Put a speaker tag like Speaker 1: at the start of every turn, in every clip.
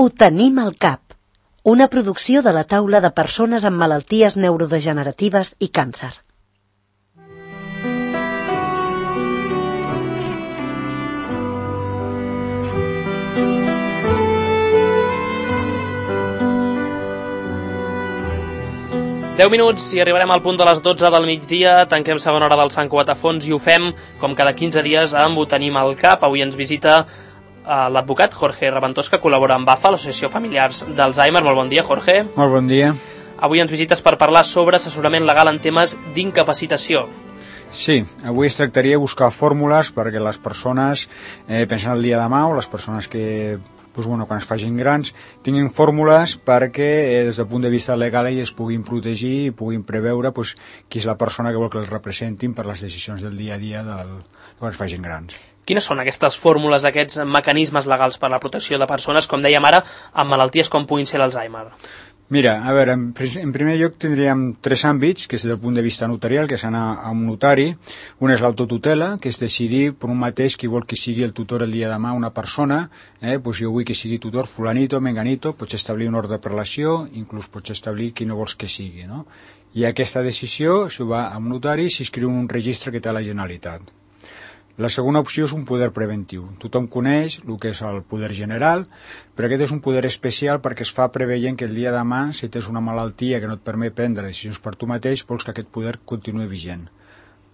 Speaker 1: Ho tenim al cap. Una producció de la taula de persones amb malalties neurodegeneratives i càncer.
Speaker 2: Deu minuts i arribarem al punt de les 12 del migdia, tanquem segona hora del Sant Cugat a fons i ho fem, com cada 15 dies, amb Ho tenim al cap. Avui ens visita l'advocat Jorge Raventós, que col·labora amb AFA, l'Associació Familiars d'Alzheimer. Molt bon dia, Jorge.
Speaker 3: Molt bon dia.
Speaker 2: Avui ens visites per parlar sobre assessorament legal en temes d'incapacitació.
Speaker 3: Sí, avui es tractaria de buscar fórmules perquè les persones, pensant el dia de demà, o les persones que quan es facin grans, tinguin fórmules perquè des del punt de vista legal es puguin protegir i puguin preveure qui és la persona que vol que els representin per les decisions del dia a dia quan es facin grans.
Speaker 2: Quines són aquestes fórmules, aquests mecanismes legals per a la protecció de persones, com dèiem ara, amb malalties com puguin ser l'Alzheimer?
Speaker 3: Mira, a veure, en primer lloc tindríem tres àmbits, que és des del punt de vista notarial, que és anar a un notari. Un és l'autotutela, que és decidir per un mateix qui vol que sigui el tutor el dia de demà una persona. Jo vull que sigui tutor fulanito, menganito, pots establir un ordre de prelació, inclús pots establir qui no vols que sigui, no? I aquesta decisió, si va a un notari, s'inscriu en un registre que té la Generalitat. La segona opció és un poder preventiu. Tothom coneix el que és el poder general, però aquest és un poder especial perquè es fa preveient que el dia de demà, si tens una malaltia que no et permet prendre decisions per tu mateix, vols que aquest poder continuï vigent.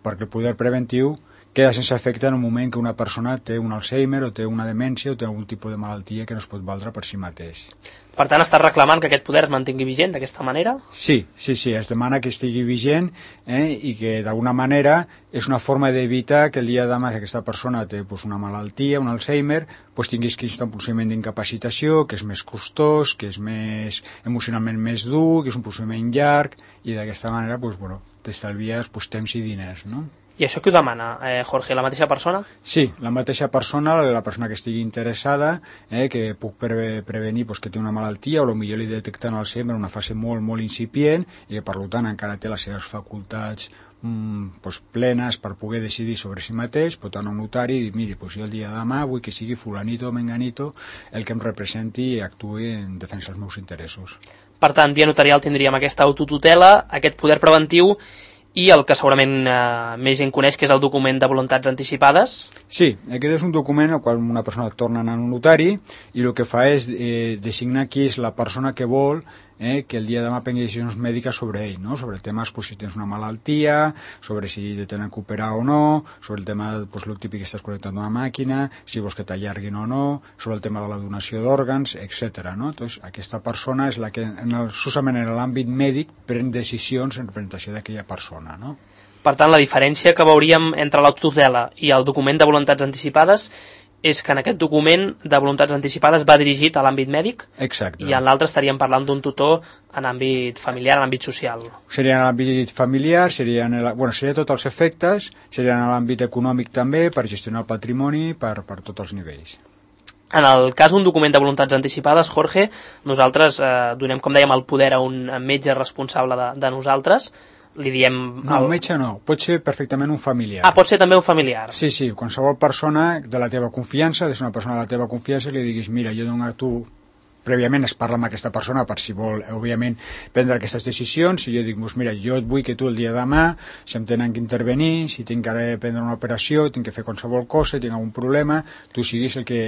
Speaker 3: Perquè el poder preventiu queda sense efecte en el moment que una persona té un Alzheimer o té una demència o té algun tipus de malaltia que no es pot valdre per si mateix.
Speaker 2: Per tant, estàs reclamant que aquest poder es mantingui vigent d'aquesta manera?
Speaker 3: Sí, es demana que estigui vigent i que d'alguna manera és una forma d'evitar que el dia de demà que aquesta persona té una malaltia, un Alzheimer, tinguis que instar un procediment d'incapacitació, que és més costós, que és emocionalment més dur, que és un procediment llarg, i d'aquesta manera t'estalvies temps i diners, no?
Speaker 2: I això qui ho demana, Jorge, la mateixa persona?
Speaker 3: Sí, la mateixa persona, la persona que estigui interessada, que puc prevenir que té una malaltia o potser li detecten Alzheimer en una fase molt, molt incipient i que per tant encara té les seves facultats plenes per poder decidir sobre si mateix, pot anar a un notari i dir, miri, jo el dia de demà vull que sigui fulanito o menganito el que em representi i actuï en defensa dels meus interessos.
Speaker 2: Per tant, via notarial tindríem aquesta autotutela, aquest poder preventiu i el que segurament més gent coneix, que és el document de voluntats anticipades.
Speaker 3: Sí, aquest és un document al qual una persona torna a anar a un notari i el que fa és designar qui és la persona que vol que el dia de demà prengui decisions mèdiques sobre ell, no? Sobre temes si tens una malaltia, sobre si te tenen que operar o no, sobre el tema el típic que estàs connectant a una màquina, si vols que t'allarguin o no, sobre el tema de la donació d'òrgans, etc. No? Entonces, aquesta persona és la que, solament en l'àmbit mèdic, pren decisions en representació d'aquella persona, no?
Speaker 2: Per tant, la diferència que veuríem entre l'autotutela i el document de voluntats anticipades és que en aquest document de voluntats anticipades va dirigit a l'àmbit mèdic.
Speaker 3: Exacte.
Speaker 2: I en l'altre estaríem parlant d'un tutor en àmbit familiar, en àmbit social.
Speaker 3: Seria en l'àmbit familiar, seria tots els efectes, seria en l'àmbit econòmic també, per gestionar el patrimoni, per tots els nivells.
Speaker 2: En el cas d'un document de voluntats anticipades, Jorge, nosaltres donem, com dèiem, el poder a un metge responsable de nosaltres. Li diem...
Speaker 3: No, un metge no, pot ser perfectament un familiar.
Speaker 2: Ah, pot ser també un familiar.
Speaker 3: Sí, qualsevol persona de la teva confiança, és una persona de la teva confiança, li diguis, mira, jo dono a tu... Prèviament es parla amb aquesta persona per si vol, òbviament, prendre aquestes decisions. Si jo dic, mira, jo et vull que tu el dia de demà, si em tenen que intervenir, si tinc que prendre una operació, tinc que fer qualsevol cosa, tinc algun problema, tu siguis el que,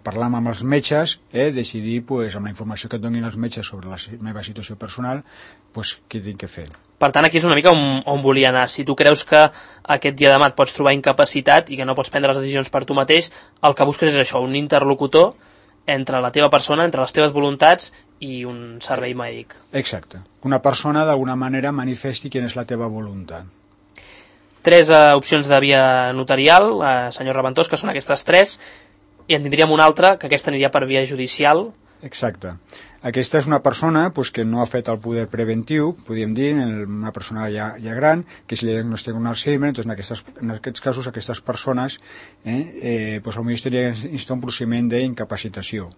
Speaker 3: parlar amb els metges, decidir, amb la informació que et donin els metges sobre la meva situació personal, què tinc que fer.
Speaker 2: Per tant, aquí és una mica on volia anar. Si tu creus que aquest dia de demà et pots trobar incapacitat i que no pots prendre les decisions per tu mateix, el que busques és això, un interlocutor entre la teva persona, entre les teves voluntats i un servei mèdic.
Speaker 3: Exacte. Una persona d'alguna manera manifesti quina és la teva voluntat.
Speaker 2: Tres opcions de via notarial, senyor Raventós, que són aquestes tres, i en tindríem una altra, que aquesta aniria per via judicial.
Speaker 3: Exacte. Aquesta és una persona que no ha fet el poder preventiu, podríem dir, una persona ja gran, que si li diagnostiquen un Alzheimer, doncs en aquests casos aquestes persones potser estaria instar un procediment d'incapacitació.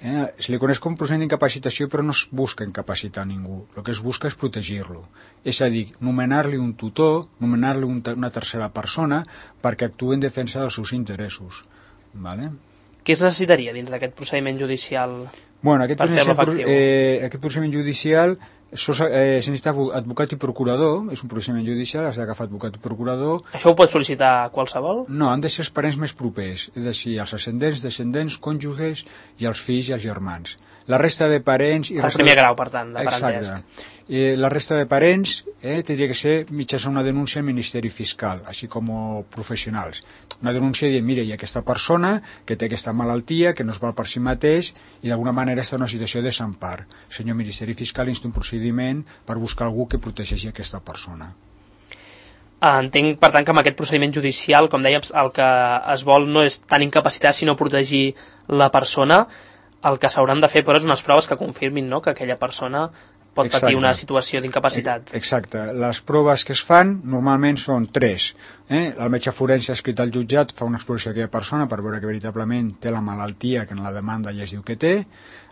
Speaker 3: Se li coneix com un procediment d'incapacitació, però no es busca incapacitar ningú, el que es busca és protegir-lo. És a dir, nomenar-li un tutor, nomenar-li una tercera persona perquè actuï en defensa dels seus interessos. Vale?
Speaker 2: Què es necessitaria dins d'aquest procediment judicial
Speaker 3: per
Speaker 2: fer-lo efectiu?
Speaker 3: Aquest procediment judicial se necessita advocat i procurador, és un procediment judicial, has d'agafar advocat i procurador.
Speaker 2: Això ho pot sol·licitar qualsevol?
Speaker 3: No, han de ser els parents més propers, és a dir, els ascendents, descendents, cònjuges i els fills i els germans. La resta de parents...
Speaker 2: El primer grau, per tant, de parentesc.
Speaker 3: Exacte. La resta de parents tindria que ser mitjançant una denúncia al Ministeri Fiscal, així com professionals. Una denúncia dient, mira, hi ha aquesta persona que té aquesta malaltia, que no es val per si mateix i d'alguna manera està en una situació de desampar. El senyor Ministeri Fiscal insta un procediment per buscar algú que protegeixi aquesta persona.
Speaker 2: Entenc, per tant, que amb aquest procediment judicial, com dèiem, el que es vol no és tant incapacitar, sinó protegir la persona. El que s'hauran de fer, però, és unes proves que confirmin, no?, que aquella persona pot patir una situació d'incapacitat.
Speaker 3: Exacte. Les proves que es fan normalment són 3. El metge forense escrit al jutjat fa una exploració d'aquella persona per veure que veritablement té la malaltia que en la demanda ja es diu que té.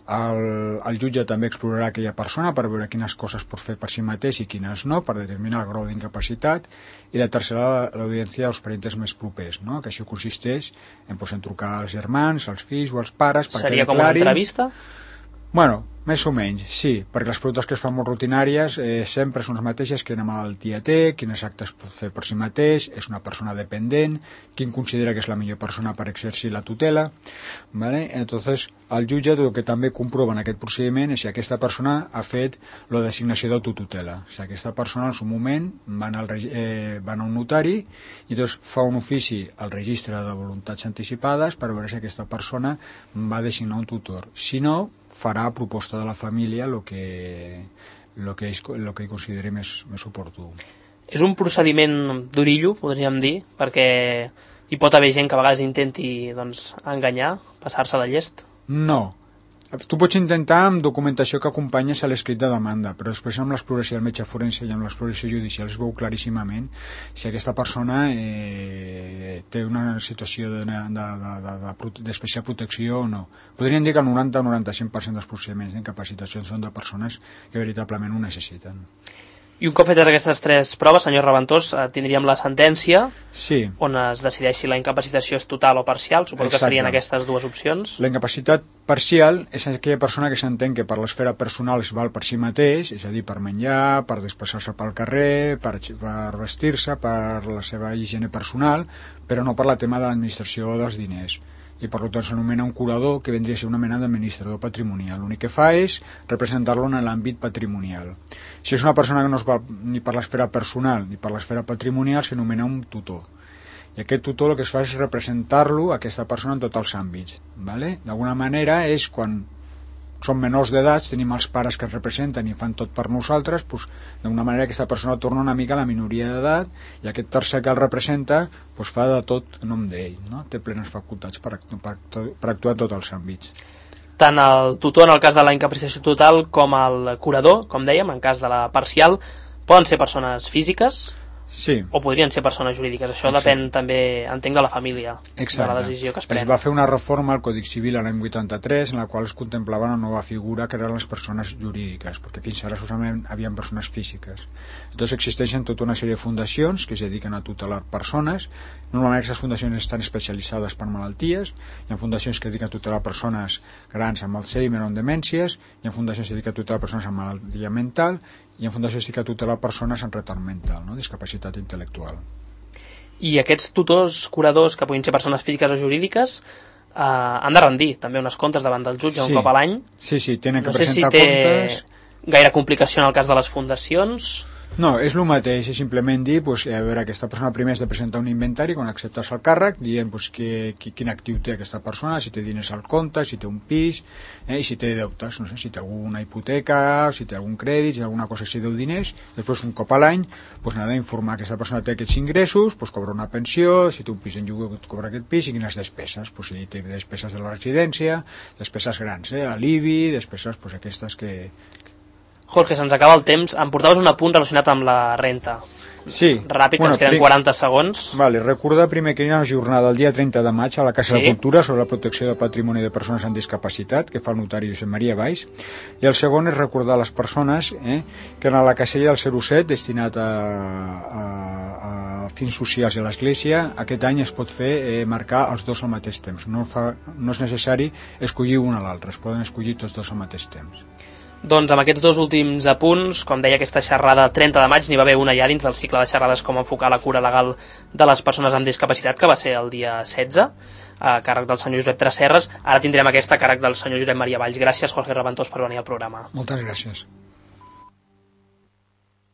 Speaker 3: El jutge també explorarà aquella persona per veure quines coses pot fer per si mateix i quines no, per determinar el grau d'incapacitat. I la tercera, l'audiència dels parents més propers, no? Que això consisteix en trucar als germans, als fills o als pares...
Speaker 2: Seria com una entrevista?
Speaker 3: Bueno, més o menys, sí, perquè les preguntes que es fan molt rutinàries sempre són les mateixes: quina malaltia té, quines actes pot fer per si mateix, és una persona dependent, quin considera que és la millor persona per exercir la tutela, ¿vale? Entonces, el jutge el que també comprova en aquest procediment és si aquesta persona ha fet la designació d'autotutela. Si aquesta persona en su moment van a un notari i doncs fa un ofici al registre de voluntats anticipades per veure si aquesta persona va designar un tutor. Si no, farà a proposta de la família el que consideri més oportú.
Speaker 2: És un procediment d'orillo, podríem dir, perquè hi pot haver gent que a vegades intenti enganyar, passar-se de llest?
Speaker 3: No. Tu pots intentar amb documentació que acompanyes a l'escrit de demanda, però després amb l'exploració del metge forense i amb l'exploració judicial es veu claríssimament si aquesta persona té una situació d'especial protecció o no. Podríem dir que el 90-95% dels procediments d'incapacitació són de persones que veritablement ho necessiten.
Speaker 2: I un cop fetes aquestes 3 proves, senyor Raventós, tindríem la sentència,
Speaker 3: sí,
Speaker 2: on es decideix si la incapacitació és total o parcial. Suposo que serien aquestes 2 opcions.
Speaker 3: La incapacitat parcial és aquella persona que s'entén que per l'esfera personal es val per si mateix, és a dir, per menjar, per desplaçar-se pel carrer, per vestir-se, per la seva higiene personal, però no per la tema de l'administració dels diners. I per tant s'anomena un curador, que vendria a ser una mena d'administrador patrimonial. L'únic que fa és representar-lo en l'àmbit patrimonial. Si és una persona que no es va ni per l'esfera personal ni per l'esfera patrimonial, s'anomena un tutor. I aquest tutor el que es fa és representar-lo, aquesta persona, en tots els àmbits. ¿Vale? D'alguna manera és quan som menors d'edats, tenim els pares que ens representen i fan tot per nosaltres, doncs, d'alguna manera aquesta persona torna una mica a la minoria d'edat i aquest tercer que el representa doncs, fa de tot en nom d'ell, no? Té plenes facultats per actuar en tots els àmbits.
Speaker 2: Tant el tutor en el cas de la incapacitació total com el curador, com dèiem, en cas de la parcial, poden ser persones físiques,
Speaker 3: sí,
Speaker 2: o podrien ser persones jurídiques. Això depèn també, entenc, de la família. Exacte. De la decisió que es pren.
Speaker 3: Es va fer una reforma al Codi Civil l'any 83 en la qual es contemplava una nova figura que eren les persones jurídiques, perquè fins ara solament hi havia persones físiques. Entonces existeixen tota una sèrie de fundacions que es dediquen a tutelar persones. Normalment aquestes fundacions estan especialitzades per malalties. Hi ha fundacions que dediquen a tutelar persones grans amb Alzheimer o amb demències, hi ha fundacions que dediquen a tutelar persones amb malaltia mental, i en fundació sí que tutelar persones amb retard mental, no? Discapacitat intel·lectual.
Speaker 2: I aquests tutors, curadors, que puguin ser persones físiques o jurídiques, han de rendir també uns comptes davant del jutge un cop a l'any.
Speaker 3: Sí, tenen que presentar comptes.
Speaker 2: No sé si té gaire complicació en el cas de les fundacions.
Speaker 3: No, és el mateix, és simplement dir, pues, a veure, aquesta persona primer has de presentar un inventari quan acceptes el càrrec, dient pues, quin actiu té aquesta persona, si té diners al compte, si té un pis, i si té deutes, no sé, si té alguna hipoteca, si té algun crèdit, si té alguna cosa que si deu diners. Després, un cop a l'any, pues, n'ha d'informar que aquesta persona té aquests ingressos, pues, cobra una pensió, si té un pis en lloguer, cobra aquest pis, i quines despeses, pues, si té despeses de la residència, despeses grans, l'IBI, despeses pues, aquestes que
Speaker 2: Jorge, se'ns acaba el temps. Em portaves un apunt relacionat amb la renta.
Speaker 3: Sí.
Speaker 2: Ràpid, que ens queden 40 segons.
Speaker 3: Vale, recordar primer que hi ha una jornada el dia 30 de maig a la Casa de Cultura sobre la protecció del patrimoni de persones amb discapacitat, que fa el notari Josep Maria Valls, i el segon és recordar a les persones que en la casella del 07 destinat a fins socials a l'Església, aquest any es pot fer marcar els dos al mateix temps. No és necessari escollir un a l'altre, es poden escollir tots dos al mateix temps.
Speaker 2: Doncs amb aquests dos últims apunts, com deia, aquesta xerrada 30 de maig n'hi va haver una ja dins del cicle de xerrades com enfocar la cura legal de les persones amb discapacitat, que va ser el dia 16, a càrrec del senyor Josep Tresserras. Ara tindrem aquesta a càrrec del senyor Josep Maria Valls. Gràcies, Jorge Raventós, per venir al programa.
Speaker 3: Moltes gràcies.